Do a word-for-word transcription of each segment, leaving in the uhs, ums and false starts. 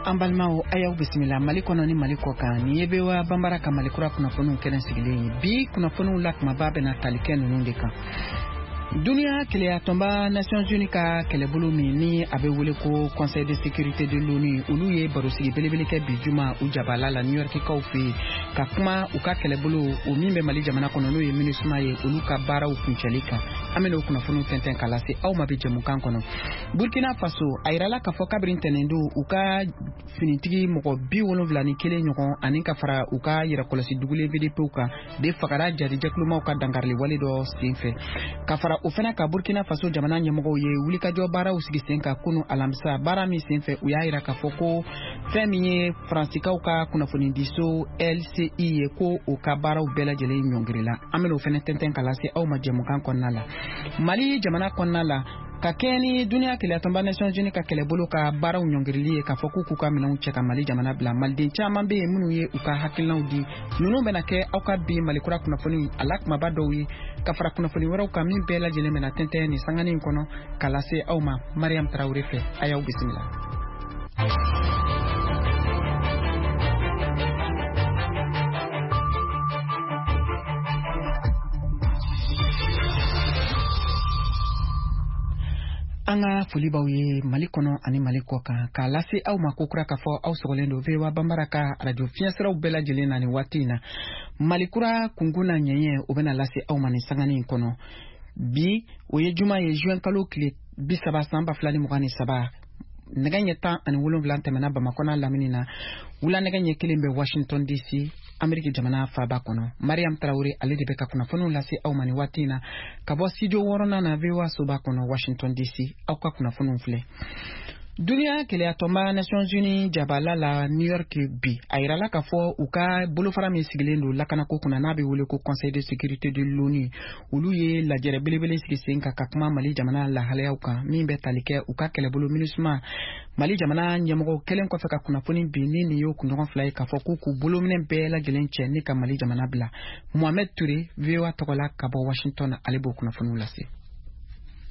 An balimaw, a y'aw bisimila Mali kɔnɔ ni Mali kɔ kan. Nin ye V O A Banbara ka Mali kura kunnafoniw kɛnɛ sigilen ye. Bi kunnafoniw la, kumaba bɛna tali kɛ ninnu de kan: Duniya keleya tɔnba Nations Unies ka kɛlɛbolo min ni a bɛ wele ko Conseil de sécurité de l'ONU, olu ye barosigi belebele kɛ bi juma u jabala la New Yorkikaw fɛ yen, ka kuma u ka kɛlɛbolo o min bɛ Mali jamana kɔnɔ, n'o ye MINUSMA ye, olu ka baaraw kuncɛli kan. An bɛna o kunnafoniw tɛntɛn ka lase aw ma bi jɛmukan kɔnɔ. Burkina Faso, a yirala k'a fɔ kabiri ntɛnɛndon, u ka finitigi mɔgɔ bi wolonfila ni kelen ɲɔgɔn ani ka fara u ka yɛrɛkɔlɔsi dugulen V D Pw kan de fagara jarijɛkulumaw ka dankarili wale dɔ sen fɛ. Ka fara o fana ka, Burkina Faso jamana ɲɛmɔgɔw ye wulikajɔ baaraw sigi sen kan kunu alamisa. Baara min sen fɛ, u y'a yira k'a fɔ ko fɛn min ye Faransikaw ka kunnafonidiso L C I ye, ko o ka baaraw bɛɛ lajɛlen ɲɔngirila. An bɛna o fana tɛntɛn ka lase aw ma jɛmukan kɔnɔna la. Mali jamana kɔnɔna la, ka kɛɲɛ ni duniya keleya Nations Unies ka kɛlɛbolo ka baaraw ɲɔngirili ye, k'a fɔ k'u k'u ka minɛnw cɛ ka Mali jamana bila, maliden caman bɛ yen minnu ye u ka hakilinaw di. Ninnu bɛna kɛ aw ka bi Malikura kunnafoni a la kumaba dɔw ye, ka fara kunnafoni wɛrɛw kan min bɛɛ lajɛlen bɛna tɛntɛn nin sanganin in kɔnɔ ka lase aw ma Mariam Tarawele fɛ. A y'aw bisimila. An ka foli b'aw ye Mali kɔnɔ ani Mali kɔ kan, k'a lase aw ma kokura k'a fɔ aw sɔgɔlen don V O A Banbara ka arajo fiɲɛsiraw bɛɛ lajɛlen na nin waati in na. Mali kura kunkun na ɲɛɲɛ, o bɛna lase aw ma nin sanganin in kɔnɔ. Bi, o ye juma ye, juin kalo tile bi saba, san ba fila ni mugan ni saba. Nɛgɛ ɲɛ tan ani wolonwula tɛmɛna Bamakɔ n'a lamini na, wula nɛgɛ ɲɛ kelen bɛ Washington D C, Ameriki jamana faaba kɔnɔ. Mariam Tarawele, ale de bɛ ka kunnafoniw lase aw ma nin waati in na ka bɔ studio wɔɔrɔnan na, V O A soba kɔnɔ, Washington D C. Aw ka kunnafoniw filɛ. Duniya keleya tɔnba Nations Unies jabala la New York bi, a yirala k'a fɔ u ka bolofara min sigilen don lakanako kunna, n'a bɛ wele ko Conseil de sécurité de l'ONU, olu ye lajɛrɛ belebele sigi sen kan ka kuma Mali jamana lahalayaw kan min bɛ tali kɛ u ka kɛlɛbolo MINUSMA. Mali jamana ɲɛmɔgɔw kɛlen kɔfɛ ka kunnafoni bi ni nin y'o kunɲɔgɔn fila ye, k'a fɔ k'u k'u bolominɛ bɛɛ lajɛlen cɛ ni ka Mali jamana bila. Mohamed Touré, V O A tɔgɔ la ka bɔ Washington, ale b'o kunnafoniw lase.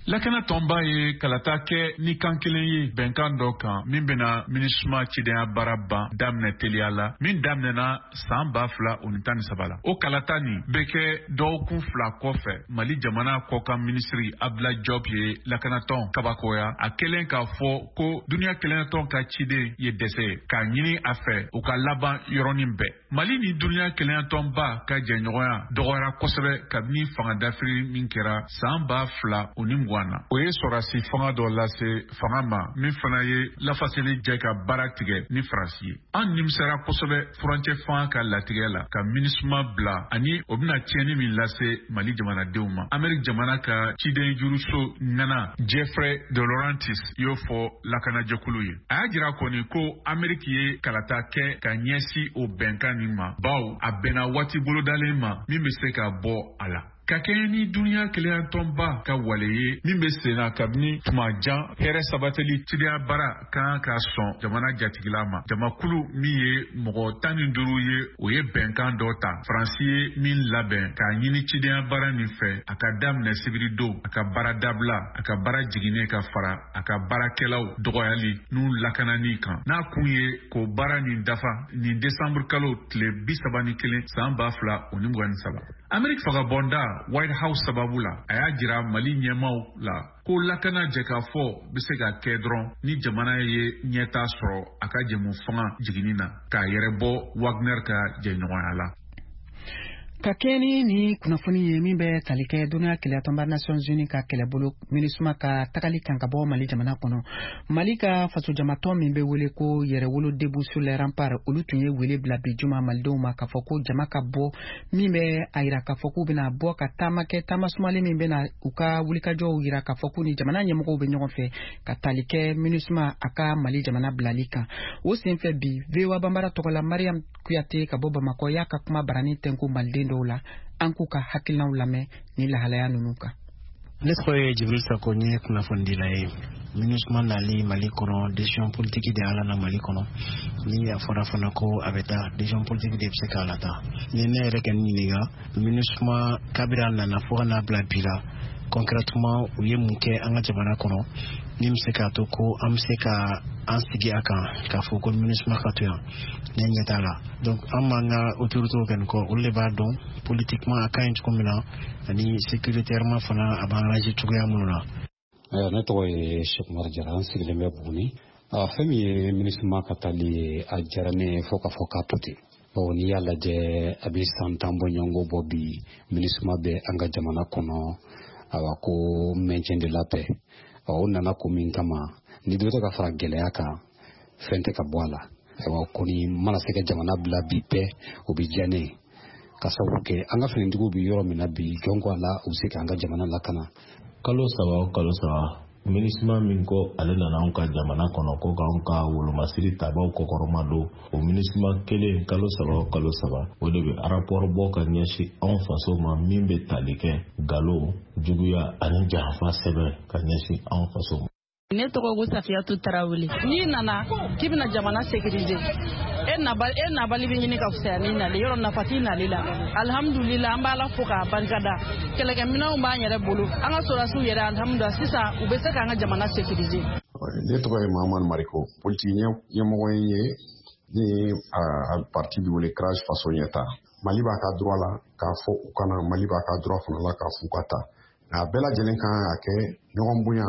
Lakana tɔnba ye kalata kɛ ni kan kelen ye bɛnkan dɔ kan min bena MINUSMA cidenya baara ban daminɛ teliya la, min daminɛna saan ba fila o ni tan ni saba la. O kalata nin bɛ kɛ dɔgɔkun fila kɔfɛ, Mali jamana kɔkan minisiri Abdoulaye Diop ye lakanatɔn kabakoya, a kɛlen k'a fɔ ko duniɲa kelenyatɔn ka ciden ye dɛsɛ ye k'a ɲini a fɛ u ka laban yɔrɔnin bɛɛ. Mali ni duniɲa kelenyatɔnba ka jɛɲɔgɔnya dɔgɔyara kosɛbɛ kabini fanga dafiri min kɛra saan ba fila o ni mugan na. O ye sɔrɔdasi fanga dɔ lase fanga ma min fana ye lafaseli jɛ ka baara tigɛ ni Faransi ye. An nimisara kosɛbɛ furancɛ fanga ka latigɛ la ka MINUSMA bila, ani o bɛna tiɲɛni min lase Mali jamanadenw ma, Ameriki jamana ka ciden juruso ŋana Jeffrey de Laurentis y'o fɔ lakanajɛkulu ye. A y'a jira kɔni ko Ameriki ye kalata kɛ ka ɲɛsin o bɛnkan nin ma, bawo a bɛnna waati bolodalen ma min bɛ se ka bɔ a la ka kɛɲɛ ni duniɲa kelenyatɔnba ka wale ye min bɛ sen na kabini tuma jan. Hɛrɛ sabatili cidenya baara kan ka sɔn jamana jatigila ma. Jamakulu min ye mɔgɔ tan ni duuru ye, o ye bɛnkan dɔ ta Faransi ye min labɛn k'a ɲini cidenya baara nin fɛ a ka daminɛ sibiri don, a ka baara dabila, a ka baara jiginnen, ka fara a ka baarakɛlaw dɔgɔyali n'u lakanani kan, n'a kun ye k'o baara nin dafa nin desanburu kalo tile bi saba ni kelen san ba fila o ni mugan ni saba. Ameriki fagabɔnda White House sababu la, a y'a jira Mali ɲɛmaw la ko lakana jɛkafɔ bɛ se ka kɛ dɔrɔn ni jamana ye ɲɛta sɔrɔ a ka jɛmu fanga jiginni na k'a yɛrɛ bɔ Wagner ka jɛɲɔgɔnya la. Ka kɛɲɛ ni ni kunnafoni ye min bɛ tali kɛ duniya keleya tɔnba Nations Unies ka kɛlɛbolo MINUSMA ka tagali kan ka bɔ Mali jamana kɔnɔ, Mali ka fasojamatɔn min bɛ wele ko Yɛrɛwolo Debout sur les Remparts, olu tun ye wele bila bi juma malidenw ma k'a fɔ ko jama ka bɔ, min bɛ a yira k'a fɔ k'u bɛna bɔ ka taama kɛ, taama sumalen min bɛna u ka wulikajɔw yira k'a fɔ k'u ni jamana ɲɛmɔgɔw bɛ ɲɔgɔn fɛ ka tali kɛ MINUSMA a ka Mali jamana bilali kan. O senfɛ bi, V O A Banbara tɔgɔ la, Mariam Kuyate ka bɔ Bamakɔ y'a ka kuma barani tɛnku maliden dɔw la. An k'u ka hakilinaw lamɛn ni lahalaya ninnu kan. Ne tɔgɔ ye Jibril Sako, n ye kunnafonidila ye. MINUSMA nali Mali kɔnɔ, décision politique de y'a na Mali kɔnɔ. Ni a fɔra fana ko a bɛ taa, décision politique de bɛ se k'a lataa. Ni ne yɛrɛ kɛ n ɲininka, MINUSMA kabiri a nana fo ka n'a bila bi la, concrètement u ye mun kɛ an ka jamana kɔnɔ min bɛ se k'a to ko an bɛ se ka An sigi a kan k'a fɔ ko MINUSMA ka to yan, ne ɲɛ t'a la. Donc an b'an ka autorités kɛ nin kɔ, olu de b'a dɔn politiquement a ka ɲi cogo min na, ani sécuritairement fana a b'an arranger cogoya minnu na. Ne tɔgɔ ye Cheikh Umar Jara, an sigilen bɛ Buguni. Fɛn min ye MINUSMA ka taali ye, a diyara ne ye fo ka fɔ k'a to ten, bawo n'i y'a lajɛ, a bɛ san tan bɔɲɔgɔnko bɔ bi, MINUSMA bɛ an ka jamana kɔnɔ. Awa, ko maintien de la paix, o nana ko min kama, ni dɔ tɛ ka fara gɛlɛya kan, fɛn tɛ ka bɔ a la. Ayiwa, kɔni mana se ka jamana bila bi bɛɛ, o bɛ diya ne ye, ka sababu kɛ an ka finitigiw bɛ yɔrɔ min na bi, jɔn ko a la, u bɛ se k'an ka jamana lakana. Kalo saba o kalo saba, MINUSMA min ko ale nana anw ka jamana kɔnɔ ko k'anw ka wolomasiri tabaw kɔkɔrɔma don, o MINUSMA kelen, kalo saba o kalo saba, o de bɛ rapport bɔ ka ɲɛsin anw faso ma, min bɛ tali kɛ galo, juguya ani janfa sɛbɛn ka ɲɛsin anw faso ma. Ne tɔgɔ ko Safiyatu Tarawele. N'i nana k'i bɛna jamana sécuriser, e nabali e nabali bɛ ɲini ka fisaya n'i nalen yɔrɔ, nafa t'i nali la. Alihamudulila, an b'Ala fo k'a barikada, kɛlɛkɛminɛnw b'an yɛrɛ bolo, an ka sɔrɔdasiw yɛrɛ, alihamudulila, sisan u bɛ se k'an ka jamana sécuriser. Ne tɔgɔ ye Mahamadu Mariko, politiki ɲɛmɔgɔ ye, ni a parti bɛ wele CRAJ Faso Ɲɛta. Mali b'a ka droit la k'a fɔ u kana, Mali b'a ka droit fana la k'a fɔ u ka taa, nka a bɛɛ lajɛlen kan ka kɛ ɲɔgɔn bonya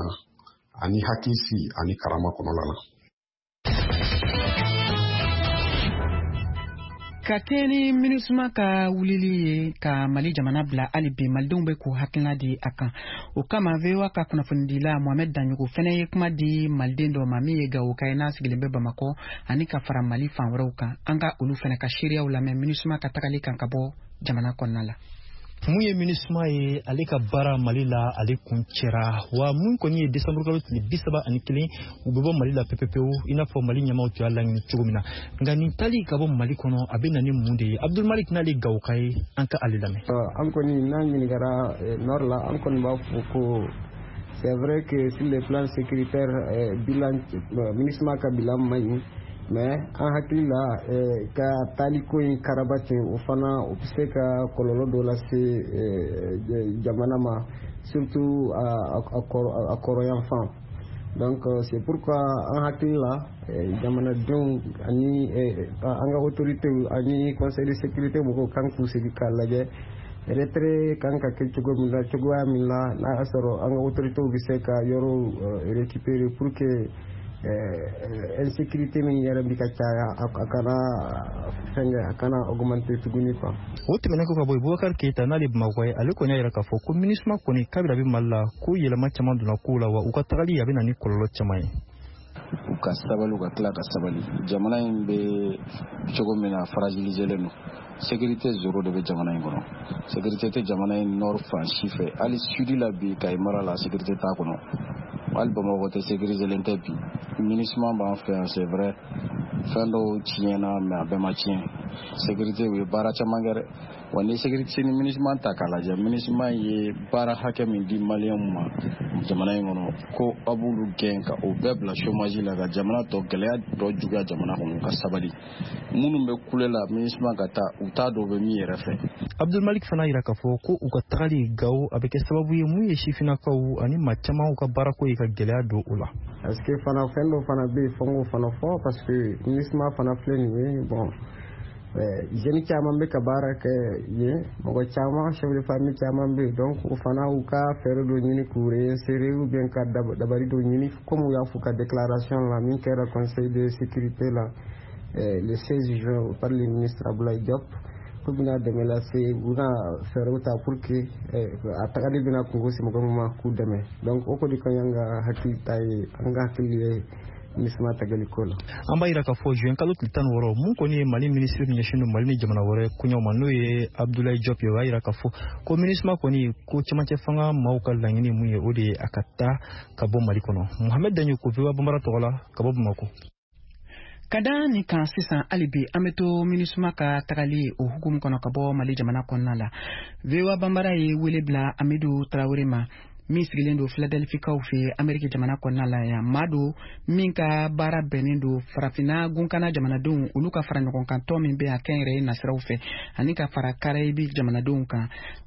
ani hakilisi ani karama kɔnɔna la. Ka kɛ ni MINUSMA ka wulili ye ka Mali jamana bila, hali bi malidenw bɛ k'u hakilina di a kan. O kama, V O A ka kunnafonidila Mohamed Daɲogo fɛnɛ ye kuma di maliden dɔ ma min ye Gawoka ye, n'a sigilen bɛ Bamakɔ ani ka fara Mali fan wɛrɛw kan. An ka olu fɛnɛ ka seereyaw lamɛn MINUSMA ka tagali kan ka bɔ jamana kɔnɔna la. Mun ye MINUSMA ye, ale ka baara Mali la, ale kun cɛra wa. Mun kɔni ye desanburu kalo tile bi saba ani kelen, u bɛ bɔ Mali la pepepewu, i n'a fɔ Mali ɲɛmaw tun y'a laɲini cogo min na. Nka nin tali ka bɔ Mali kɔnɔ, a bɛ na ni mun de ye? Abdulmalik n'ale Gawoka ye, an ka ale lamɛn. An kɔni n'an ɲininkara nord la, an kɔni b'a fɔ ko c'est vrai que sur le plan sécuritaire, bilan, MINUSMA ka bilan man ɲi, mais an hakili la, ka taaliko in karaba ten, o fana o bɛ se ka kɔlɔlɔ dɔ lase jamana ma, surtout a kɔrɔyanfan. Donc c'est pourquoi an hakili la, jamanadenw ani an ka autorités ani Conseil de sécurité mɔgɔw kan k'u sigi k'a lajɛ retrait kan ka kɛ cogo min na, cogoya min na n'a y'a sɔrɔ an ka autorités bɛ se ka yɔrɔw récupérer pour que insécurité min yɛrɛ bɛ ka caya, a kana fɛnkɛ, a kana augmenter tuguni quoi. O tɛmɛnen kɔ ka bɔ yen, Bubakari Keyita, n'ale Bamakɔ ye, ale kɔni y'a yira k'a fɔ ko MINUSMA kɔni, kabini a bɛ Mali la, ko yɛlɛma caman donna kow la, wa u ka tagali, a bɛ na ni kɔlɔlɔ caman ye. U ka sabali, u ka tila ka sabali. Jamana in bɛ cogo min na, fragiliselen don, sécurité zéro de bɛ jamana in kɔnɔ. Sécurité tɛ jamana in nord fan si fɛ, hali sud la bi, Kayi mara la, sécurité t'a kɔnɔ, hali Bamakɔ tɛ sécuriselen tɛ bi. MINUSMA b'an fɛ yan, c'est vrai, fɛn dɔw tiɲɛna, mais a bɛɛ ma tiɲɛ. Sécurité, u ye baara caman kɛ dɛ. Wa ni sécurité ni MINUSMA ta k'a lajɛ, MINUSMA ye baara hakɛ min di maliyɛnw ma jamana in kɔnɔ, ko a b'olu gɛn ka o bɛɛ bila chômage la, ka jamana tɔ gɛlɛya tɔ juguya jamana kɔnɔ. Ka sabali, minnu bɛ kule la MINUSMA ka taa, u t'a dɔn u bɛ min yɛrɛ fɛ. Abdulmalik fana yira k'a fɔ ko u ka tagali Gawo, a bɛ kɛ sababu ye mun ye sifinnakaw ani maa caman ka baarako ye ka gɛlɛya don o la. Parce que fana fɛn dɔ fana bɛ yen, fo n k'o fana fɔ, parce que MINUSMA fana filɛ nin ye, bon, jeune caman bɛ ka baara kɛ yen, mɔgɔ caman, chef de famille caman bɛ yen. Donc o fana, u ka fɛɛrɛ dɔ ɲini k'u réinsérer ou bien ka dabali dɔ ɲini, comme u y'a fɔ ka déclaration la min kɛra Conseil de sécurité la le seize juin par le ministre Abdoulaye Diop, k'u bɛna dɛmɛ lase, u bɛna fɛɛrɛw ta pour que a tagali bɛna kungo se mɔgɔ min ma, k'u dɛmɛ. Donc o kɔni ka ɲi, an ka hakili ta ye, an ka hakili ye MINUSMA tagali ko la. An b'a yira k'a fɔ juin kalo tile tan ni wɔɔrɔ, mun kɔni ye Mali minisiri min ɲɛsin don Mali ni jamana wɛrɛ koɲɛw ma, n'o ye Abdoulaye Diop ye, o y'a yira k'a fɔ ko MINUSMA kɔni ko cɛmancɛ fanga maaw ka laɲini mun ye, o de ye a ka taa ka bɔ Mali kɔnɔ. Mohamed Daɲoko, V O A Banbara tɔgɔ la, ka bɔ Bamakɔ. Ka da nin kan sisan, hali bi an bɛ to MINUSMA ka tagali o hukumu kɔnɔ ka bɔ Mali jamana kɔnɔna la. V O A Banbara ye wele bila Amidu Tarawele ma, min sigilen don Filadelfikaw fɛ Ameriki jamana kɔnɔna la yan. Maa don min ka baara bɛnnen don Farafinna gunkana jamanadenw olu ka fara ɲɔgɔn kan tɔn min bɛ a kɛnyɛrɛye nasiraw fɛ, ani ka fara Karayibi jamanadenw kan.